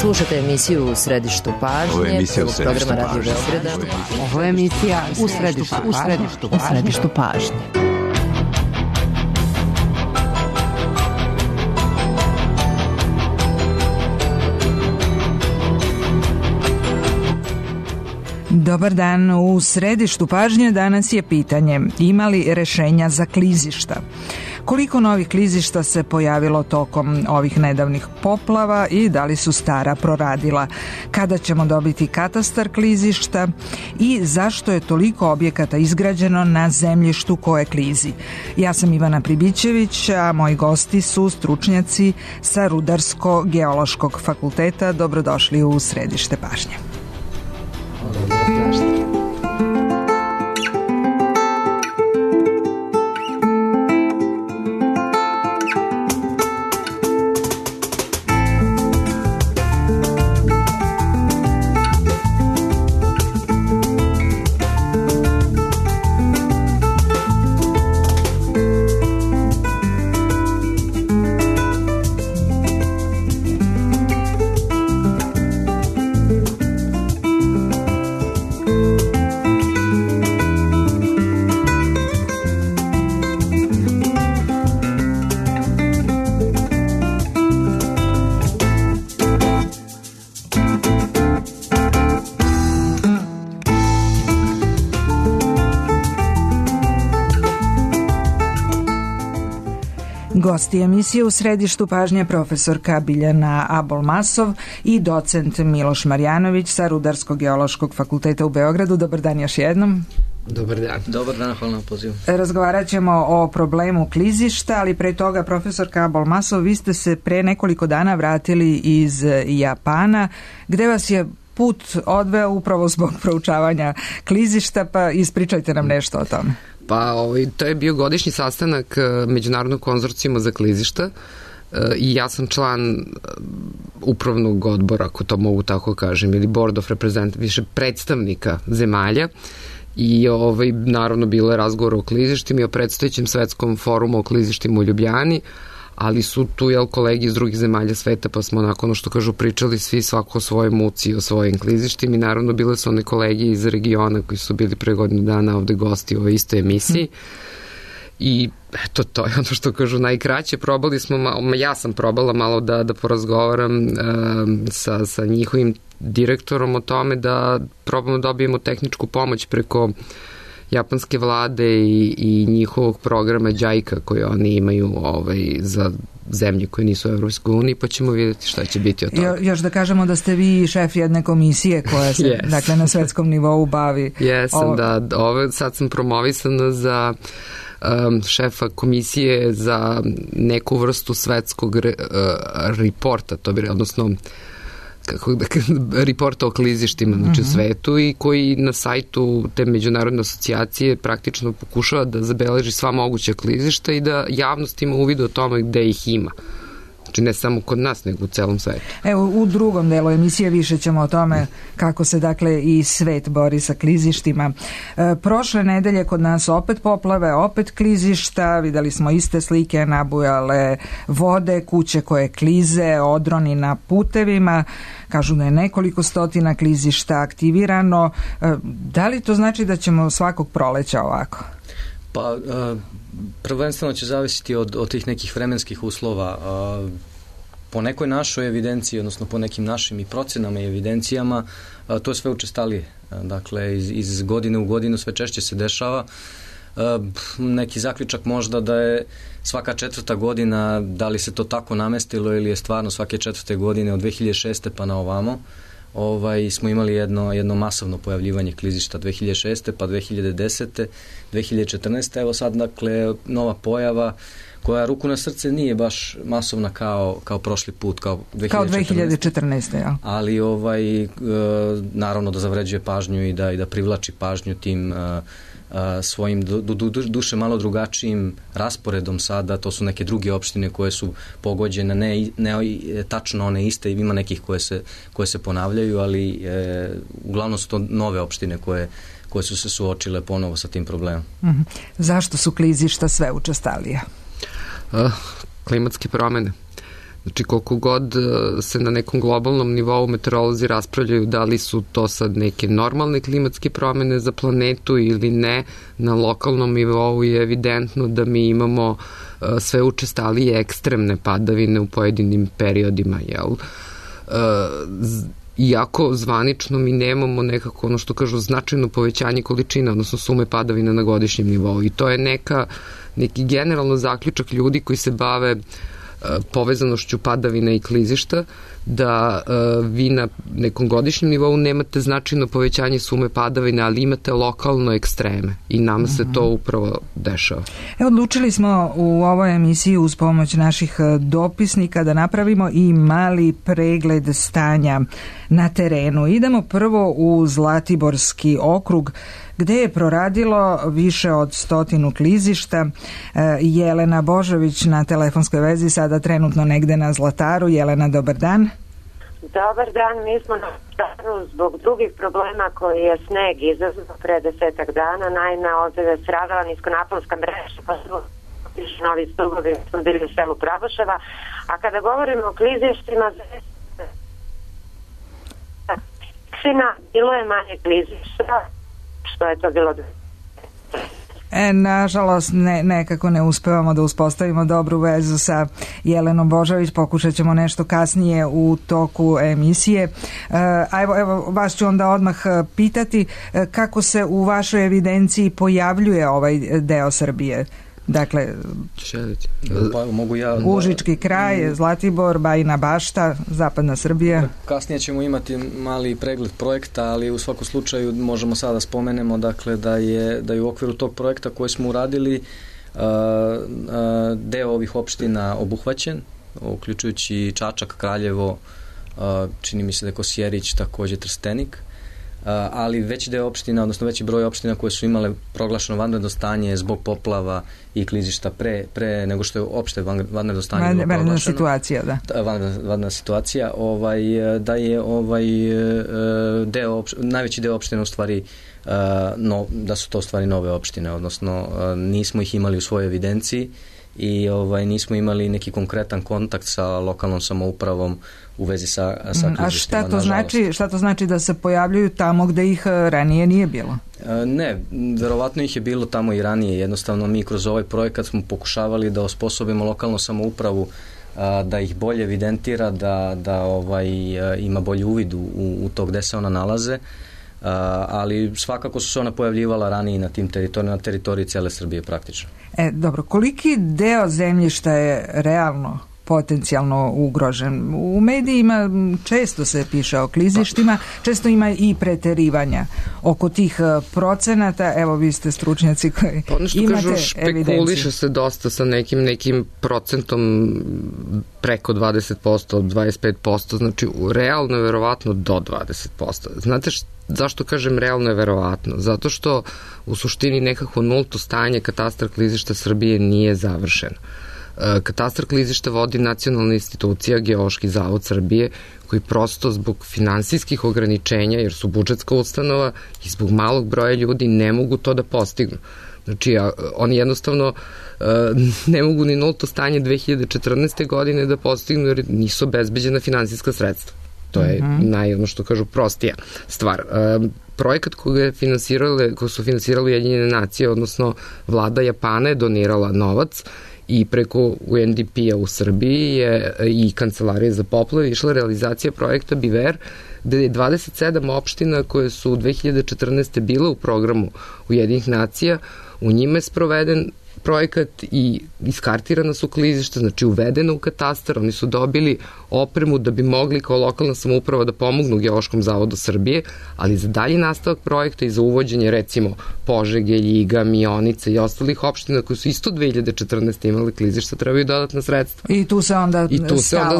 Slušate emisiju U središtu pažnje, programa Radio Beograda. Ovo je emisija U središtu pažnje. Dobar dan, u središtu pažnje danas je pitanje: ima li rešenja za klizišta? Koliko novih klizišta se pojavilo tokom ovih nedavnih poplava i da li su stara proradila? Kada ćemo dobiti katastar klizišta i zašto je toliko objekata izgrađeno na zemljištu koje klizi? Ja sam Ivana Pribićević, a moji gosti su stručnjaci sa Rudarsko-geološkog fakulteta. Dobrodošli u središte pažnje. Gosti emisije U središtu pažnje profesorka Biljana Abol-Masov i docent Miloš Marjanović sa Rudarsko-geološkog fakulteta u Beogradu. Dobar dan još jednom. Dobar dan. Dobar dan, hvala na pozivu. Razgovarat ćemo o problemu klizišta, ali pre toga, profesorka Abol-Masov, vi ste se pre nekoliko dana vratili iz Japana, gde vas je put odveo upravo zbog proučavanja klizišta, pa ispričajte nam nešto o tome. Pa to je bio godišnji sastanak Međunarodnog konzorcijuma za klizišta i ja sam član upravnog odbora, ako to mogu tako kažem, ili board of representatives, više predstavnika zemalja, i naravno bilo je razgovor o klizištima i o predstojećem svetskom forumu o klizištima u Ljubljani, ali su tu kolegi iz drugih zemalja sveta, pa smo nakon što kažu pričali svi svako o svojoj muci i o svojim klizištima, i naravno bile su one kolegi iz regiona koji su bili pre godinu dana ovde gosti u ovoj istoj emisiji. I eto, to je ono što kažu najkraće. Probali smo, ja sam probala malo da porazgovaram sa njihovim direktorom o tome da probamo dobijemo tehničku pomoć preko japanske vlade i njihovog programa JICA koji oni imaju za zemlje koje nisu u Evropskoj uniji, pa ćemo vidjeti šta će biti od toga. Još da kažemo da ste vi šef jedne komisije koja se dakle, na svetskom nivou bavi. Jesam, sad sam promovisana za šefa komisije za neku vrstu svetskog reporta, odnosno reporta o klizištima u svetu, i koji na sajtu te međunarodne asocijacije praktično pokušava da zabeleži sva moguća klizišta i da javnost ima uvid o tome gde ih ima. Znači ne samo kod nas, nego u celom svetu. Evo, u drugom delu emisije više ćemo o tome kako se dakle i svet bori sa klizištima. Prošle nedelje kod nas opet poplave, opet klizišta, videli smo iste slike, nabujale vode, kuće koje klize, odroni na putevima, kažu da je nekoliko stotina klizišta aktivirano. Da li to znači da ćemo svakog proleća ovako? Pa, prvenstveno će zavisiti od tih nekih vremenskih uslova. Po nekoj našoj evidenciji, odnosno po nekim našim i procenama i evidencijama, to je sve učestalije. Dakle, iz godine u godinu sve češće se dešava. Neki zaključak možda da je svaka četvrta godina, da li se to tako namestilo ili je stvarno svake četvrte godine od 2006. pa na ovamo, smo imali jedno masovno pojavljivanje klizišta 2006. pa 2010. 2014. Evo sad, dakle, nova pojava koja, ruku na srce, nije baš masovna kao prošli put, kao 2014. Ja. Ali naravno da zavređuje pažnju i da privlači pažnju tim svojim duše malo drugačijim rasporedom sada. To su neke druge opštine koje su pogođene, ne tačno one iste, ima nekih koje se ponavljaju, ali uglavnom su to nove opštine koje su se suočile ponovo sa tim problemom. Zašto su klizišta sve učestalija? Klimatske promene. Znači koliko god se na nekom globalnom nivou meteorolozi raspravljaju da li su to sad neke normalne klimatske promene za planetu ili ne, na lokalnom nivou je evidentno da mi imamo sve učestalije ekstremne padavine u pojedinim periodima, jel? Iako zvanično mi nemamo nekako, ono što kažu, značajno povećanje količina, odnosno sume padavina na godišnjem nivou. I to je neki generalno zaključak ljudi koji se bave povezanošću padavina i klizišta, da vi na nekom godišnjem nivou nemate značajno povećanje sume padavina, ali imate lokalno ekstreme i nama se to upravo dešava. Odlučili smo u ovoj emisiji uz pomoć naših dopisnika da napravimo i mali pregled stanja na terenu. Idemo prvo u Zlatiborski okrug, gde je proradilo više od 100 klizišta. Jelena Božović na telefonskoj vezi, sada trenutno negde na Zlataru. Jelena, dobar dan. Dobar dan, mi smo na Zlataru zbog drugih problema koji je sneg izazvao pre 10 dana. Naime, ovdje je stradala niskonaponska mreža, pa su novi stubovi, smo bili u selu Pravoševa. A kada govorimo o klizištima, bilo je manje klizišta, što je to bilo. Nažalost, nekako ne uspevamo da uspostavimo dobru vezu sa Jelenom Božović, pokušat ćemo nešto kasnije u toku emisije. Evo, vas ću onda odmah pitati kako se u vašoj evidenciji pojavljuje ovaj deo Srbije. Dakle, Užički kraj, Zlatibor, Bajina Bašta, zapadna Srbija. Kasnije ćemo imati mali pregled projekta, ali u svakom slučaju možemo sada spomenemo, dakle, da je u okviru tog projekta koji smo uradili deo ovih opština obuhvaćen, uključujući Čačak, Kraljevo, čini mi se da je Kosjerić, takođe Trstenik, ali veći deo opština, odnosno veći broj opština koje su imale proglašeno vanredno stanje zbog poplava i klizišta pre nego što je opšte vanredno stanje bilo proglašeno. Vanredna situacija, da. Vanredna situacija, da je najveći deo opština u stvari da su to u stvari nove opštine, odnosno nismo ih imali u svojoj evidenciji i nismo imali neki konkretan kontakt sa lokalnom samoupravom u vezi sa klizištima. A šta to znači da se pojavljuju tamo gde ih ranije nije bilo? Ne, verovatno ih je bilo tamo i ranije. Jednostavno mi kroz ovaj projekat smo pokušavali da osposobimo lokalnu samoupravu da ih bolje evidentira, da ima bolji uvid u to gde se ona nalaze, ali svakako su se ona pojavljivala ranije na teritoriji cele Srbije praktično. Dobro, koliki deo zemljišta je realno potencijalno ugrožen? U medijima često se piše o klizištima, često ima i preterivanja oko tih procenata. Evo, vi ste stručnjaci koji imate evidenciju. Ono što kažu, špekuliše se dosta sa nekim procentom preko 20%, 25%, znači realno je verovatno do 20%. Znate zašto kažem realno je verovatno? Zato što u suštini nekako nulto stanje katastra klizišta Srbije nije završeno. Katastar klizišta vodi nacionalna institucija Geološki zavod Srbije, koji prosto zbog finansijskih ograničenja, jer su budžetska ustanova i zbog malog broja ljudi ne mogu to da postignu. Znači, oni jednostavno ne mogu ni nulto stanje 2014. godine da postignu jer nisu obezbeđena finansijska sredstva. To je ono što kažu prostija stvar. Projekat koji su finansirali Ujedinjene nacije, odnosno vlada Japana je donirala novac i preko UNDP-a u Srbiji je i Kancelarije za poplave išla realizacija projekta BIVER, gde je 27 opština koje su u 2014. bile u programu Ujedinjenih nacija, u njima je sproveden projekat i iskartirana su klizišta, znači uvedena u katastar, oni su dobili opremu da bi mogli kao lokalna samouprava da pomognu Geološkom zavodu Srbije, ali za dalji nastavak projekta i za uvođenje recimo Požege, Ljiga, Mionice i ostalih opština koji su isto 2014. imali klizišta, trebaju dodatna sredstva. I tu se onda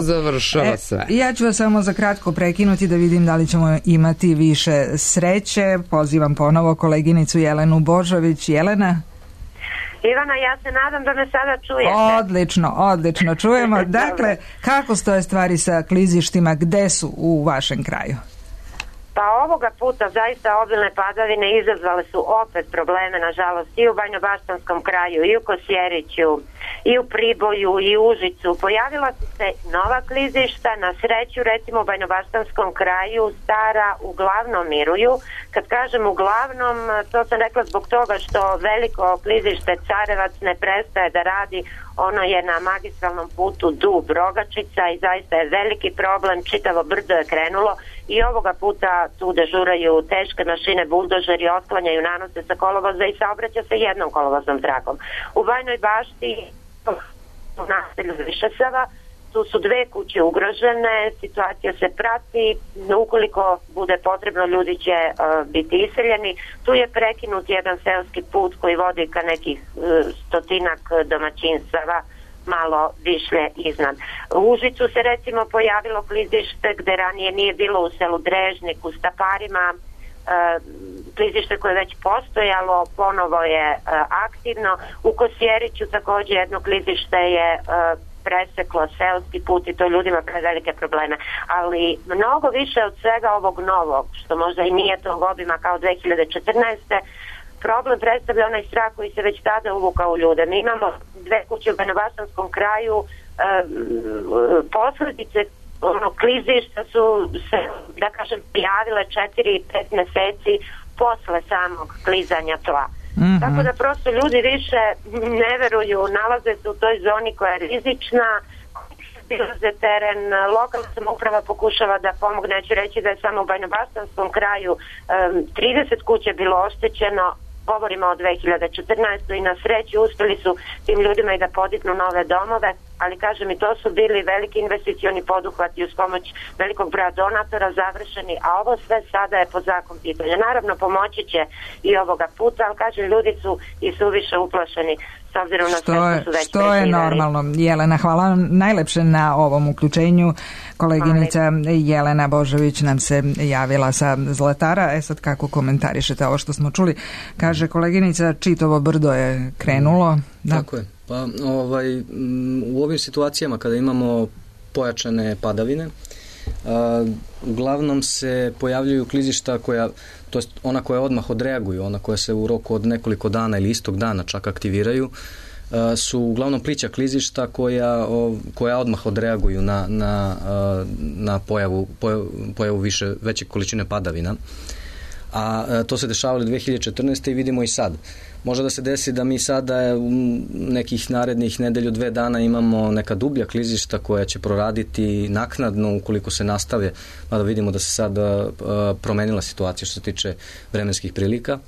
završava sve. Ja ću vas samo za kratko prekinuti da vidim da li ćemo imati više sreće. Pozivam ponovo koleginicu Jelenu Božović. Jelena? Ivana, ja se nadam da me sada čujete. Odlično čujemo. Dakle, kako stoje stvari sa klizištima, gde su u vašem kraju? Pa ovoga puta zaista obilne padavine izazvale su opet probleme, nažalost, i u Banjobaštanskom kraju, i u Kosjeriću, i u Priboju, i u Užicu. Pojavila su se nova klizišta, na sreću, recimo u Banjobaštanskom kraju stara uglavnom miruju. Kad kažem uglavnom, to sam rekla zbog toga što veliko klizište Carevac ne prestaje da radi. Ono je na magistralnom putu Dub-Rogačica i zaista je veliki problem, čitavo brdo je krenulo i ovoga puta tu dežuraju teške mašine, buldožeri, otklanjaju nanose sa kolovoza i saobraća se jednom kolovoznom tragom. U Bajnoj Bašti, u naselju Višesava, tu su 2 kuće ugrožene, situacija se prati, ukoliko bude potrebno ljudi će biti iseljeni. Tu je prekinut jedan seoski put koji vodi ka nekih 100-ak domaćinstava, malo višlje iznad. U Užicu se recimo pojavilo klizište gde ranije nije bilo u selu Drežnik, u Staparima, klizište koje je već postojalo, ponovo je aktivno. U Kosjeriću također jedno klizište je preseklo seoski put i to ljudima prevelike probleme. Ali mnogo više od svega ovog novog, što možda i nije tog obima kao 2014. problem predstavlja onaj strah koji se već tada uvukao u ljude. Mi imamo 2 kuće u Banjobaštanskom kraju, posljedice klizišta su se, da kažem, prijavile 4-5 meseci posle samog klizanja tla. Tako da prosto ljudi više ne veruju, nalaze se u toj zoni koja je rizična, bilaze teren, lokalna samouprava pokušava da pomogne, neću reći da je samo u Banjobaštanskom kraju 30 kuća bilo oštećeno, govorimo o 2014. i na sreću uspjeli su tim ljudima i da podignu nove domove, ali kažem i to su bili veliki investicioni poduhvati uz pomoć velikog broja donatora završeni, a ovo sve sada je pod znakom pitanja. Naravno pomoći će i ovoga puta, ali kažem ljudi su i suviše uplašeni s obzirom na sve što su već što je normalno. Jelena, hvala vam najlepše na ovom uključenju. Koleginica Jelena Božović nam se javila sa Zlatara. Sad kako komentarišete ovo što smo čuli? Kaže koleginica, čitovo brdo je krenulo. Da. Tako je. Pa u ovim situacijama kada imamo pojačane padavine, uglavnom se pojavljuju klizišta to jest ona koja odmah odreaguju, ona koja se u roku od nekoliko dana ili istog dana čak aktiviraju, su uglavnom plića klizišta koja odmah odreaguju na pojavu veće količine padavina. A to se dešavalo 2014. i vidimo i sad. Može da se desi da mi sada u nekih narednih nedelju 2 dana imamo neka dublja klizišta koja će proraditi naknadno ukoliko se nastave, mada vidimo da se sad promenila situacija što se tiče vremenskih prilika.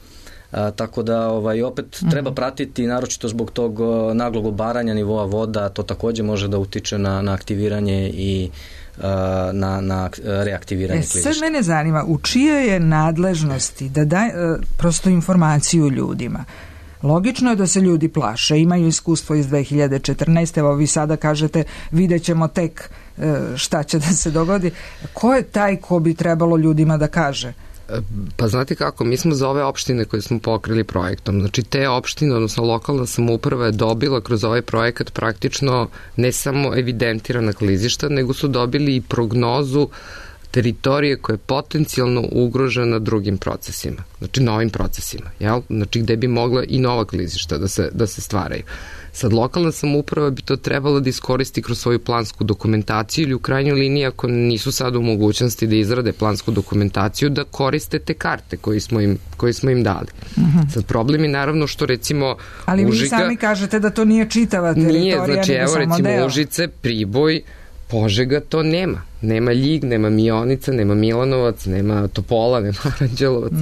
Tako da opet treba pratiti, naročito zbog tog naglog obaranja nivoa voda, to također može da utiče na aktiviranje i na reaktiviranje klizišta. Sad mene zanima, u čijoj je nadležnosti da daj prosto informaciju ljudima? Logično je da se ljudi plaše, imaju iskustvo iz 2014. Evo vi sada kažete vidjet ćemo tek šta će da se dogodi. Ko je taj ko bi trebalo ljudima da kaže? Pa znate kako, mi smo za ove opštine koje smo pokrili projektom, znači te opštine, odnosno lokalna samouprava je dobila kroz ovaj projekat praktično ne samo evidentirana klizišta, nego su dobili i prognozu teritorije koja je potencijalno ugrožena drugim procesima, znači novim procesima, jel? Znači gde bi mogla i nova klizišta da se stvaraju. Sad lokalna samouprava bi to trebala da iskoristi kroz svoju plansku dokumentaciju ili u krajnjoj liniji ako nisu sad u mogućnosti da izrade plansku dokumentaciju da koriste te karte koje smo im dali. Sad problem je naravno što recimo ali vi sami kažete da to nije čitava teritorija. Nije, znači evo recimo Užice, Priboj, Požega to nema. Nema Ljig, nema Mionica, nema Milanovac, nema Topola, nema Aranđelovac,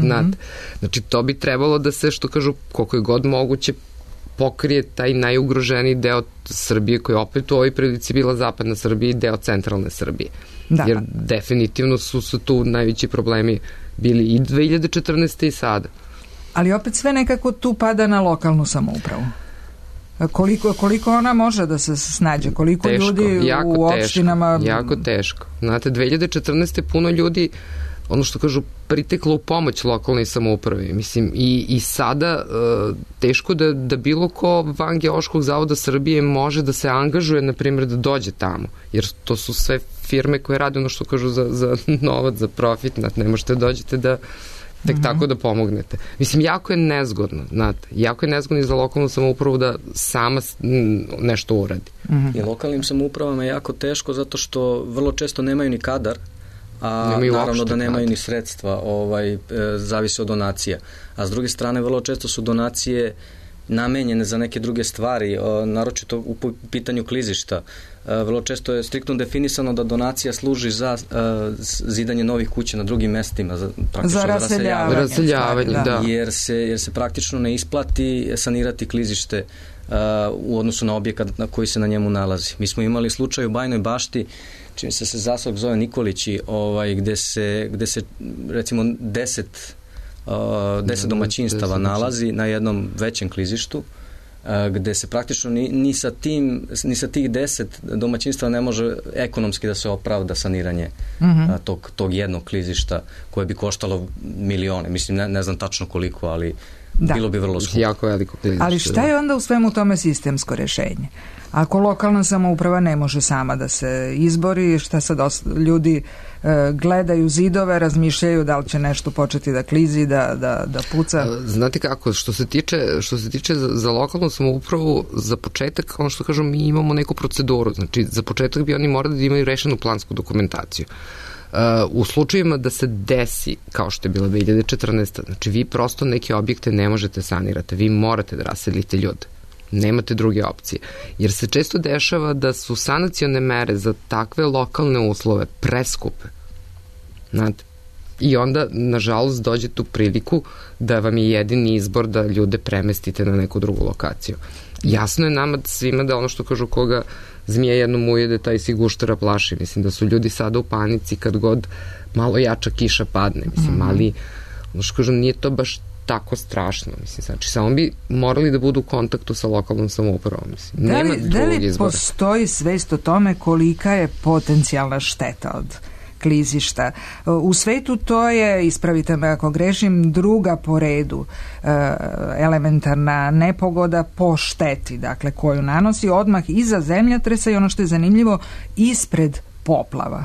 znači to bi trebalo da se, što kažu, koliko je god moguće pokrije taj najugroženiji deo Srbije koji opet u ovoj prilici bila zapadna Srbija i deo centralne Srbije. Da. Jer definitivno su tu najveći problemi bili i 2014. i sada. Ali opet sve nekako tu pada na lokalnu samoupravu. Koliko ona može da se snađe? Koliko ljudi u opštinama... Jako teško. Znate, 2014. puno ljudi ono što kažu, priteklo u pomoć lokalnoj samoupravi. Mislim, i sada teško da bilo ko van Geološkog zavoda Srbije može da se angažuje, na primjer, da dođe tamo, jer to su sve firme koje rade ono što kažu za novac, za profit, ne možete dođete da tek tako da pomognete. Mislim, jako je nezgodno, znate, jako je nezgodno i za lokalnu samoupravu da sama nešto uradi. I lokalnim samoupravama je jako teško zato što vrlo često nemaju ni kadar, a naravno da nemaju ni sredstva, zavisi od donacija. A s druge strane, vrlo često su donacije namenjene za neke druge stvari, naročito u pitanju klizišta. Vrlo često je striktno definisano da donacija služi za zidanje novih kuća na drugim mestima, za raseljavanje, da. Jer se praktično ne isplati sanirati klizište u odnosu na objekat na koji se na njemu nalazi. Mi smo imali slučaj u Bajnoj Bašti, čini se zaseok zove Nikolići, gde se recimo 10 domaćinstava nalazi na jednom većem klizištu, gde se praktično ni sa tih 10 domaćinstva ne može ekonomski da se opravda saniranje tog jednog klizišta koje bi koštalo milione. Mislim, ne znam tačno koliko, ali bilo bi vrlo skupo. Jako veliko klizište. Ali šta je onda u svemu tome sistemsko rešenje? Ako lokalna samouprava ne može sama da se izbori, šta sad ljudi gledaju zidove, razmišljaju da li će nešto početi da klizi, da puca? Znate kako, što se tiče za lokalnu samoupravu, za početak, ono što kažem, mi imamo neku proceduru. Znači, za početak bi oni morali da imaju rešenu plansku dokumentaciju. U slučajima da se desi, kao što je bila 2014. Znači, vi prosto neke objekte ne možete sanirati, vi morate da raselite ljude. Nemate druge opcije. Jer se često dešava da su sanacione mere za takve lokalne uslove preskupe. Znate? I onda, nažalost, dođete u priliku da vam je jedini izbor da ljude premestite na neku drugu lokaciju. Jasno je nama svima da ono što kažu koga zmija jednom ujede, taj si guštera plaši. Mislim da su ljudi sada u panici kad god malo jača kiša padne. Mislim, ali ono što kažu nije to baš tako strašno. Mislim, znači, samo bi morali da budu u kontaktu sa lokalnom samoupravom. Mislim, nema drugog izbora. Da li postoji svest o tome kolika je potencijalna šteta od klizišta? U svetu to je, ispravite me ako grešim, druga po redu elementarna nepogoda po šteti, dakle, koju nanosi odmah iza zemljotresa i ono što je zanimljivo, ispred poplava.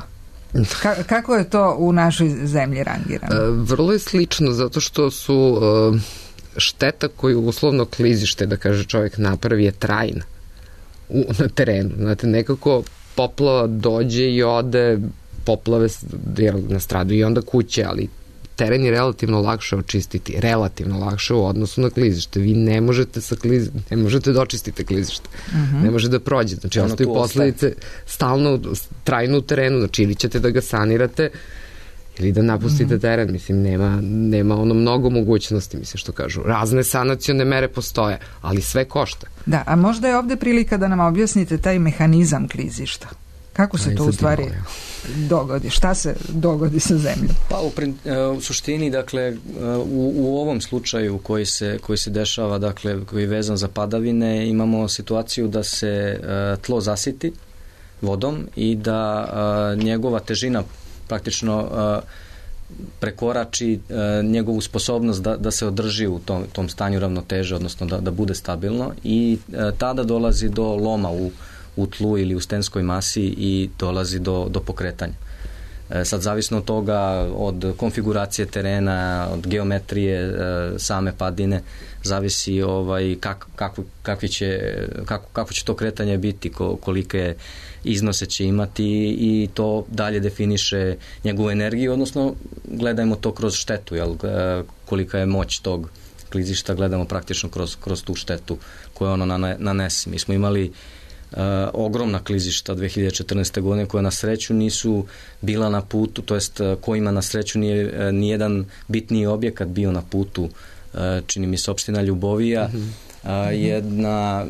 Kako je to u našoj zemlji rangirano? Vrlo je slično, zato što su šteta koju uslovno klizište, da kaže čovjek, napravi je trajna na terenu. Znate, nekako poplava dođe i ode, poplave nastradaju i onda kuće, ali teren je relativno lakše očistiti, relativno lakše u odnosu na klizište. Vi ne možete da očistite klizište. Ne može da prođe. Znači, ostaju posledice stalno, trajno u terenu. Znači, ili ćete da ga sanirate ili da napustite teren. Mislim, nema ono mnogo mogućnosti, mislim, što kažu. Razne sanacione mere postoje, ali sve košta. Da, a možda je ovde prilika da nam objasnite taj mehanizam klizišta. Kako se to u stvari dogodi? Šta se dogodi sa zemljom? Pa u suštini, dakle, u ovom slučaju koji se dešava, dakle, koji je vezan za padavine, imamo situaciju da se tlo zasiti vodom i da njegova težina praktično prekorači njegovu sposobnost da se održi u tom stanju ravnoteže, odnosno da bude stabilno, i tada dolazi do loma u tlu ili u stenskoj masi i dolazi do pokretanja. Sad, zavisno od toga, od konfiguracije terena, od geometrije same padine, zavisi kako će to kretanje biti, kolike iznose će imati, i to dalje definiše njegovu energiju, odnosno gledajmo to kroz štetu, kolika je moć tog klizišta, gledamo praktično kroz tu štetu koju ono nanese. Mi smo imali ogromna klizišta 2014. godine koja na sreću nisu bila na putu, to jest kojima na sreću nije nijedan bitniji objekat bio na putu. Čini mi se opština Ljubovija, jedna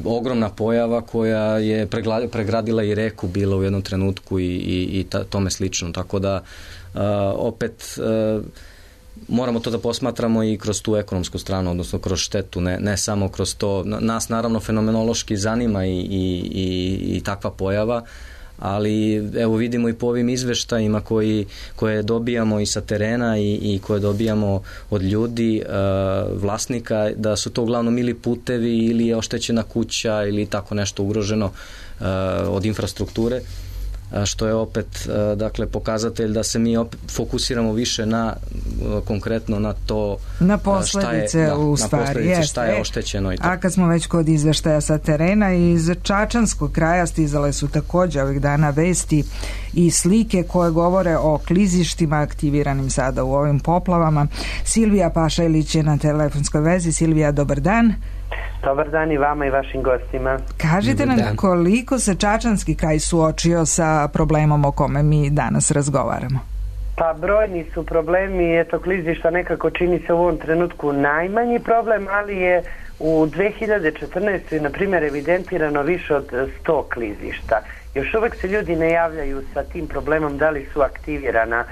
ogromna pojava koja je pregradila i reku bila u jednom trenutku i tome slično, tako da opet moramo to da posmatramo i kroz tu ekonomsku stranu, odnosno kroz štetu, ne samo kroz to. Nas naravno fenomenološki zanima i takva pojava, ali evo vidimo i po ovim izveštajima koje dobijamo i sa terena i koje dobijamo od ljudi, vlasnika, da su to uglavnom ili putevi ili je oštećena kuća ili tako nešto ugroženo od infrastrukture, što je opet dakle pokazatelj da se mi fokusiramo više na konkretno na to na posledice u stvari, šta je oštećeno i to. A kad smo već kod izveštaja sa terena, iz čačanskog kraja stizale su također ovih dana vesti i slike koje govore o klizištima aktiviranim sada u ovim poplavama. Silvija Pašajlić je na telefonskoj vezi. Silvija, dobar dan. Dobar dan i vama i vašim gostima. Kažite nam koliko se čačanski kraj suočio sa problemom o kome mi danas razgovaramo? Pa brojni su problemi, eto klizišta nekako čini se u ovom trenutku najmanji problem, ali je u 2014. na primjer evidentirano više od 100 klizišta. Još uvek se ljudi ne javljaju sa tim problemom da li su aktivirana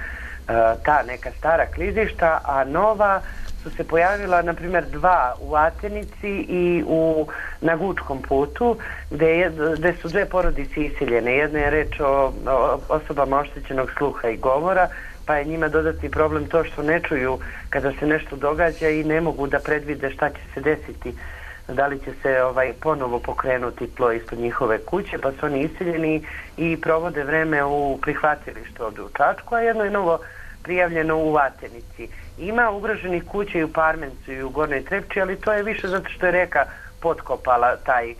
ta neka stara klizišta, a nova su se pojavila, na primjer, 2 u Atenici i na Gučkom putu, gde su 2 porodice iseljene. Jedna je reč o osobama oštećenog sluha i govora, pa je njima dodatni problem to što ne čuju kada se nešto događa i ne mogu da predvide šta će se desiti, da li će se ponovo pokrenuti tlo ispod njihove kuće, pa su oni iseljeni i provode vreme u prihvatilištu ovdje u Čačku, a jedno je novo prijavljeno u Atenici. Ima ugroženih kuća i u Parmencu i u Gornjoj Trepči, ali to je više zato što je reka potkopala taj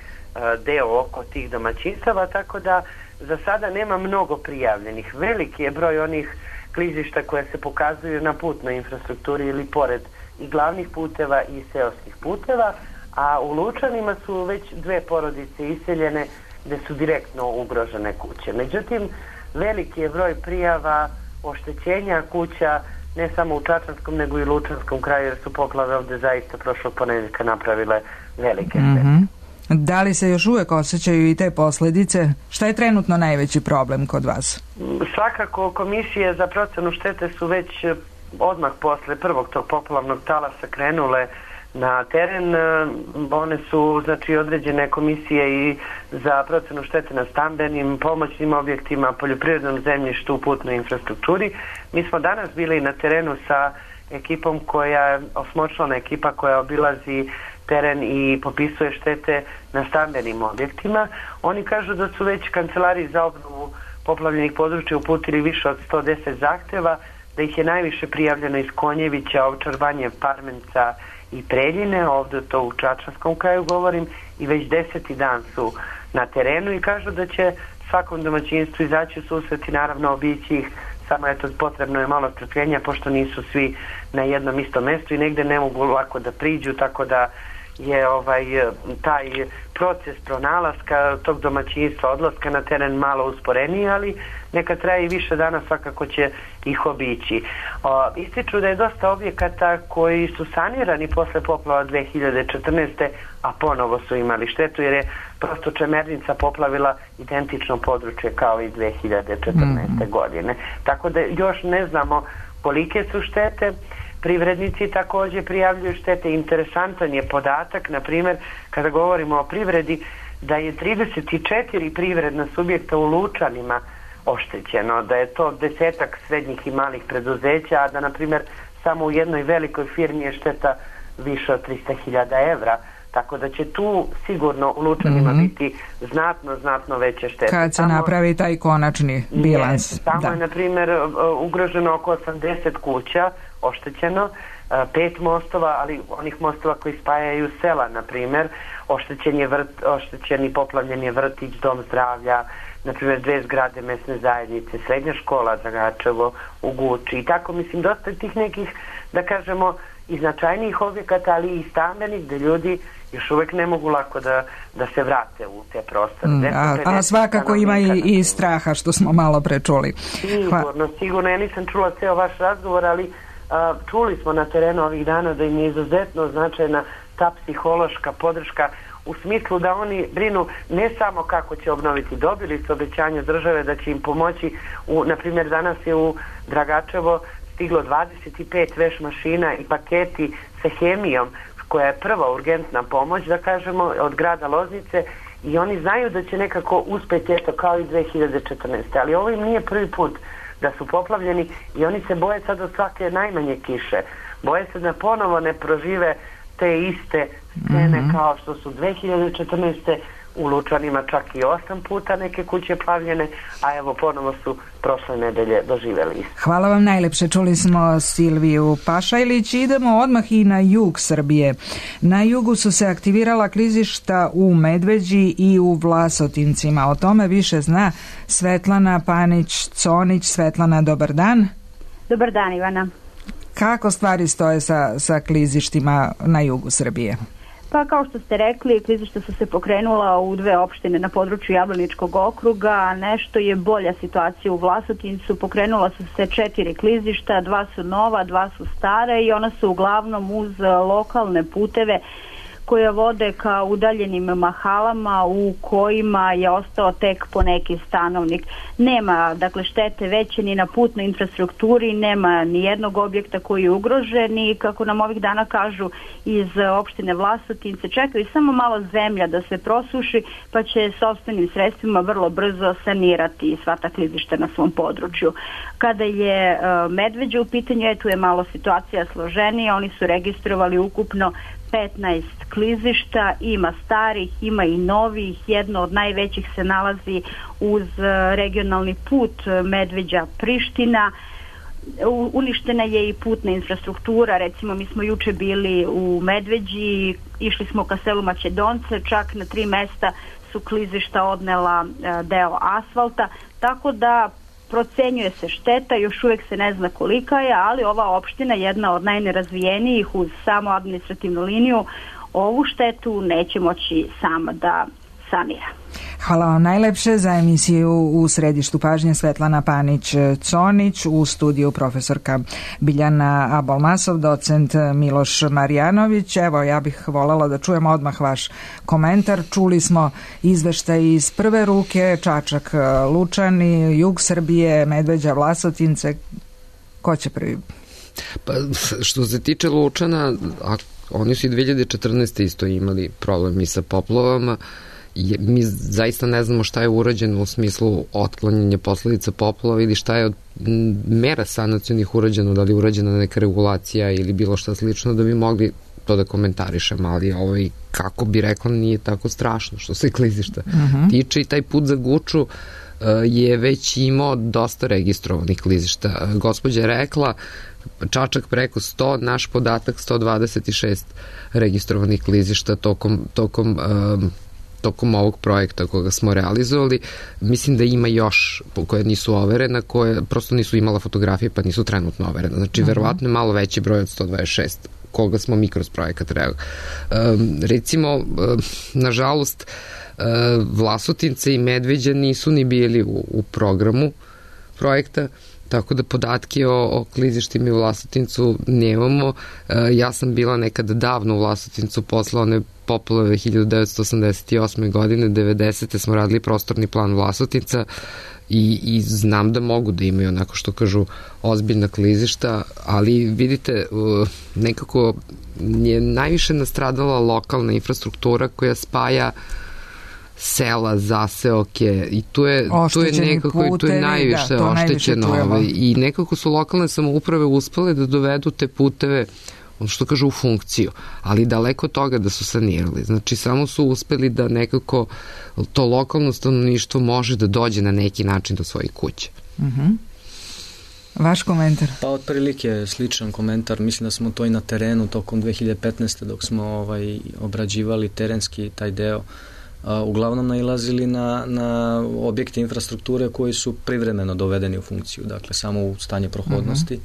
deo oko tih domaćinstava, tako da za sada nema mnogo prijavljenih. Veliki je broj onih klizišta koje se pokazuju na putnoj infrastrukturi ili pored i glavnih puteva i seoskih puteva, a u Lučanima su već 2 porodice iseljene gde su direktno ugrožene kuće. Međutim, veliki je broj prijava oštećenja kuća ne samo u Čačanskom nego i Lučanskom kraju, jer su poplave ovdje zaista prošlog ponedjeljka napravile velike štete. Da li se još uvijek osjećaju i te posljedice? Šta je trenutno najveći problem kod vas? Svakako komisije za procenu štete su već odmah posle prvog tog poplavnog talasa krenule na teren. One su određene komisije i za procenu štete na stambenim, pomoćnim objektima, poljoprivrednom zemljištu, putnoj infrastrukturi. Mi smo danas bili na terenu sa ekipom osmočlana ekipa koja obilazi teren i popisuje štete na stambenim objektima. Oni kažu da su već kancelariji za obnovu poplavljenih područja uputili više od 110 zahteva, da ih je najviše prijavljeno iz Konjevića, Ovčar Banje, Parmenca i Preljine, ovdje to u Čačanskom kraju govorim, i već 10. dan su na terenu i kažu da će svakom domaćinstvu izaći u susret i naravno obići ih, samo potrebno je malo strpljenja pošto nisu svi na jednom istom mjestu i negdje ne mogu lako da priđu, tako da je taj proces pronalaska tog domaćinstva, odlaska na teren malo usporeniji, ali neka traje i više dana, svakako će ih obići. Ističu da je dosta objekata koji su sanirani posle poplava 2014. a ponovo su imali štetu jer je prosto Čemernica poplavila identično područje kao i 2014. godine. Tako da još ne znamo kolike su štete. Privrednici također prijavljuju štete. Interesantan je podatak, na primjer, kada govorimo o privredi, da je 34 privredna subjekta u Lučanima oštećeno, da je to 10-ak srednjih i malih preduzeća, a da, na primjer, samo u jednoj velikoj firmi je šteta više od 300.000 evra. Tako da će tu sigurno u Lučanima biti znatno veće štete. Kad se napravi taj konačni bilans. Tamo je, na primjer, ugroženo oko 80 kuća, oštećeno, 5 mostova, ali onih mostova koji spajaju sela, na primjer, oštećeni poplavljen je vrtić, dom zdravlja, na primjer 2 zgrade mesne zajednice, srednja škola Dragačevo u Guči i tako, mislim, dosta tih nekih, da kažemo, i značajnijih objekata, ali i stambenih, gde ljudi još uvijek ne mogu lako da se vrate u te prostore. A svakako ima i straha, što smo malo prečuli. Sigurno. Ja nisam čula ceo vaš razgovor, ali čuli smo na terenu ovih dana da im je izuzetno značajna ta psihološka podrška u smislu da oni brinu ne samo kako će obnoviti, dobili su obećanje države da će im pomoći. Na primjer, danas je u Dragačevo stiglo 25 veš mašina i paketi sa hemijom, koja je prva urgentna pomoć, da kažemo, od grada Loznice, i oni znaju da će nekako uspeti, eto, kao i 2014. Ali ovo im nije prvi put da su poplavljeni i oni se boje sad od svake najmanje kiše. Boje se da ponovo ne prožive te iste scene kao što su 2014. u Lučanima čak i 8 puta neke kuće plavljene, a evo ponovo su prošle nedelje doživeli. Hvala vam najlepše. Čuli smo Silviju Pašajlić. Idemo odmah i na jug Srbije. Na jugu su se aktivirala klizišta u Medveđi i u Vlasotincima. O tome više zna Svetlana Panić-Conić. Svetlana, dobar dan. Dobar dan, Ivana. Kako stvari stoje sa klizištima na jugu Srbije? Pa kao što ste rekli, klizišta su se pokrenula u 2 opštine na području Jablaničkog okruga, nešto je bolja situacija u Vlasotincu, pokrenula su se 4 klizišta, 2 su nova, 2 su stare i ona su uglavnom uz lokalne puteve koje vode ka udaljenim mahalama u kojima je ostao tek poneki stanovnik. Nema, dakle, štete veće ni na putnoj infrastrukturi, nema ni jednog objekta koji je ugrožen i kako nam ovih dana kažu iz opštine Vlasotince, čekaju samo malo zemlja da se prosuši, pa će sopstvenim sredstvima vrlo brzo sanirati sva ta klizišta na svom području. Kada je Medveđa u pitanju, tu je malo situacija složenija, oni su registrovali ukupno 15 klizišta, ima starih, ima i novih, jedno od najvećih se nalazi uz regionalni put Medveđa-Priština. Uništena je i putna infrastruktura, recimo mi smo juče bili u Medveđi, išli smo ka selu Mačedonce, čak na 3 mesta su klizišta odnela deo asfalta, tako da procenjuje se šteta, još uvijek se ne zna kolika je, ali ova opština, jedna od najnerazvijenijih uz samo administrativnu liniju, ovu štetu neće moći sama da sanira. Hvala vam najlepše. Za emisiju u središtu pažnje Svetlana Panić-Conić, u studiju profesorka Biljana Abolmasov, docent Miloš Marjanović. Evo, ja bih voljela da čujemo odmah vaš komentar. Čuli smo izveštaj iz prve ruke, Čačak, Lučani, jug Srbije, Medveđa, Vlasotince. Ko će prvi? Pa, što se tiče Lučana, oni su i 2014. isto imali problemi sa poplavama. Mi zaista ne znamo šta je urađeno u smislu otklanjanja posledica poplava ili šta je od mera sanacionih urađeno, da li je urađena neka regulacija ili bilo šta slično, da bi mogli to da komentarišemo, ali kako bi rekla, nije tako strašno što se klizišta tiče i taj put za Guču je već imao dosta registrovanih klizišta. Gospođa je rekla Čačak preko 100, naš podatak 126 registrovanih klizišta tokom ovog projekta koga smo realizovali. Mislim da ima još koje nisu overene, koje prosto nisu imala fotografije pa nisu trenutno overene. Znači, verovatno je malo veći broj od 126 koga smo mi kroz projekat recimo, nažalost, Vlasotince i Medveđa nisu ni bili u programu projekta, tako da podatke o klizištima u Vlasotincu nemamo. Ja sam bila nekada davno u Vlasotincu posle one poplave 1988. godine, 90. smo radili prostorni plan Vlasotinca i znam da mogu da imaju onako što kažu ozbiljna klizišta, ali vidite, nekako je najviše nastradala lokalna infrastruktura koja spaja sela, zaseoke i tu je nekako i tu je najviše oštećeno i nekako su lokalne samouprave uspele da dovedu te puteve, ono što kažu, u funkciju, ali daleko od toga da su sanirali. Znači, samo su uspeli da nekako to lokalno stanovništvo može da dođe na neki način do svojih kuće. Vaš komentar? Pa otprilike sličan komentar. Mislim da smo to i na terenu tokom 2015. dok smo obrađivali terenski taj deo, uglavnom nailazili na objekte infrastrukture koji su privremeno dovedeni u funkciju, dakle samo u stanje prohodnosti.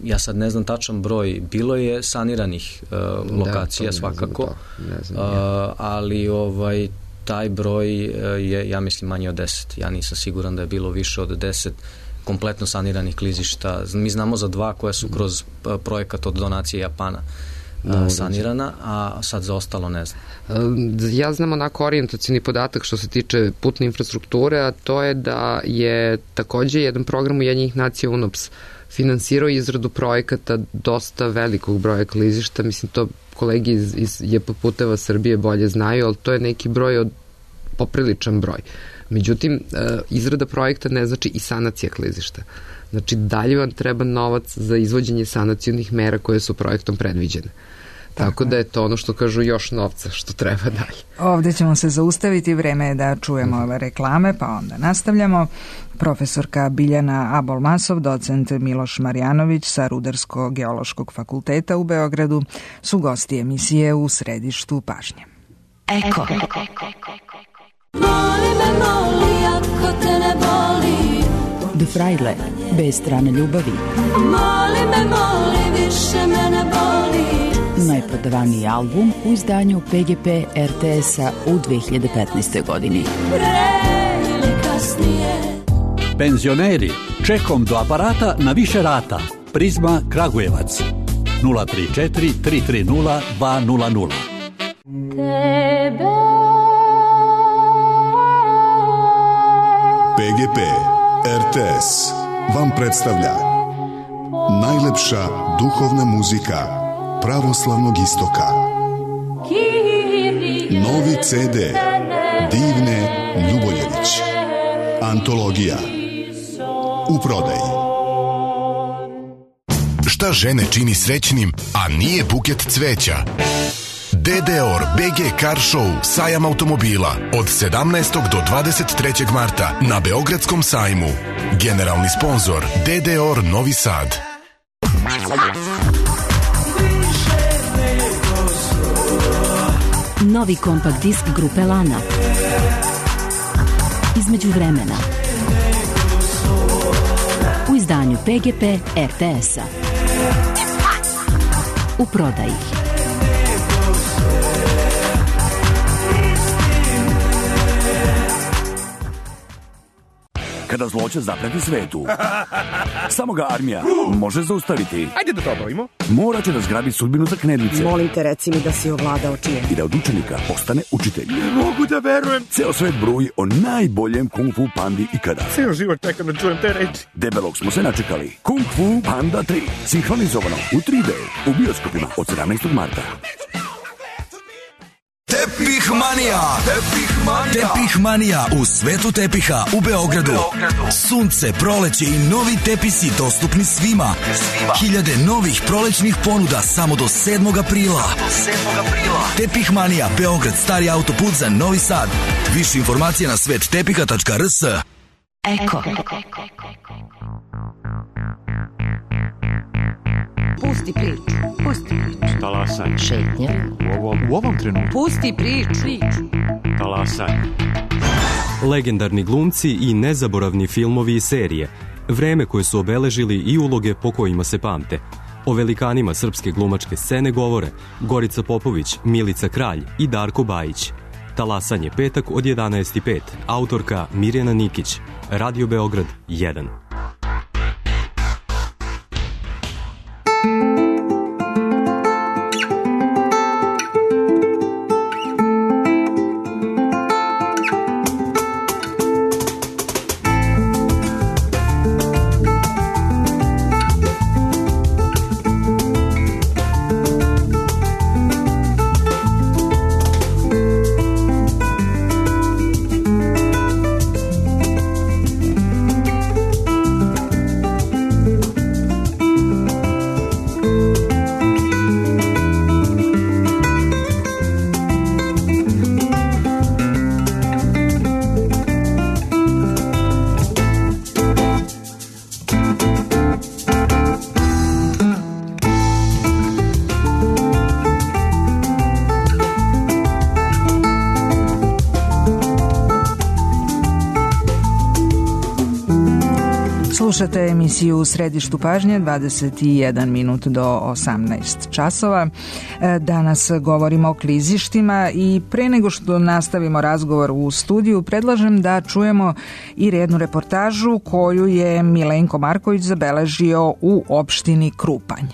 Ja sad ne znam tačan broj, bilo je saniranih lokacija svakako, ali taj broj je, ja mislim, manje od 10. Ja nisam siguran da je bilo više od 10 kompletno saniranih klizišta. Mi znamo za 2 koja su kroz projekat od donacije Japana sanirana, a sad za ostalo ne znam. Ja znam onako orijentacijni podatak što se tiče putne infrastrukture, a to je da je takođe jedan program Ujedinjenih nacija UNOPS finansirao izradu projekata dosta velikog broja klizišta, mislim to kolegi iz JP Puteva Srbije bolje znaju, ali to je neki broj popriličan broj. Međutim, izrada projekta ne znači i sanacija klizišta. Znači, dalje vam treba novac za izvođenje sanacionih mera koje su projektom predviđene. Tako da je to ono što kažu još novca što treba dalje. Ovde ćemo se zaustaviti, vreme je da čujemo ove reklame, pa onda nastavljamo. Profesorka Biljana Abol-Masov, docent Miloš Marjanović sa Rudarsko-geološkog fakulteta u Beogradu su gosti emisije U središtu pažnje. Eko. Moli me, moli, ako te ne boli. De Frajle, bez strane ljubavi. Moli me, moli, više me ne boli. Najprodavaniji album u izdanju PGP RTS-a u 2015. godini. Pre ili kasnije. Penzioneri, čekom do aparata na više rata. Prizma Kragujevac 034 330 200. Tebe. PGP RTS vam predstavlja najlepša duhovna muzika pravoslavnog istoka. Novi CD Divne Ljuboljević. Antologija. U prodaji. Šta žene čini srećnim, a nije buket cveća? DDOR BG Car Show sajam automobila od 17. do 23. marta na Beogradskom sajmu. Generalni sponzor DDOR Novi Sad. Novi kompakt disk grupe Lana. Između vremena. U izdanju PGP RTS-a. U prodaji. Kada zloće zapreti svetu, samo ga armija može zaustaviti. Ajde da to obavimo. Mora će da zgrabi sudbinu za knedlice. Molim te, reci mi da si ovladao čijem. I da od učenika postane učitelj. Ne mogu da verujem. Ceo svet bruji o najboljem kung fu pandi ikada. Ceo život čekam da čujem te reči. Debelog smo se načekali. Kung Fu Panda 3. Sinhronizovano u 3D. U bioskopima od 17. marta. Tepih Manija. Tepih Manija u svetu tepiha u Beogradu. Sunce, proleće i novi tepisi dostupni svima. Hiljade novih prolećnih ponuda samo do 7. aprila. Tepih Manija, Beograd, stari autoput za Novi Sad. Više informacija na svettepiha.rs. Eko. Pusti priču. Talasanje. Šetnja. U ovom trenutku. Pusti priču. Talasanje. Legendarni glumci i nezaboravni filmovi i serije. Vreme koje su obeležili i uloge po kojima se pamte. O velikanima srpske glumačke scene govore Gorica Popović, Milica Kralj i Darko Bajić. Talasanje, petak od 11:05. Autorka Mirjana Nikić. Radio Beograd 1. Slušate emisiju U središtu pažnje, 21 minut do 18 časova. Danas govorimo o klizištima i pre nego što nastavimo razgovor u studiju, predlažem da čujemo i jednu reportažu koju je Milenko Marković zabeležio u opštini Krupanj.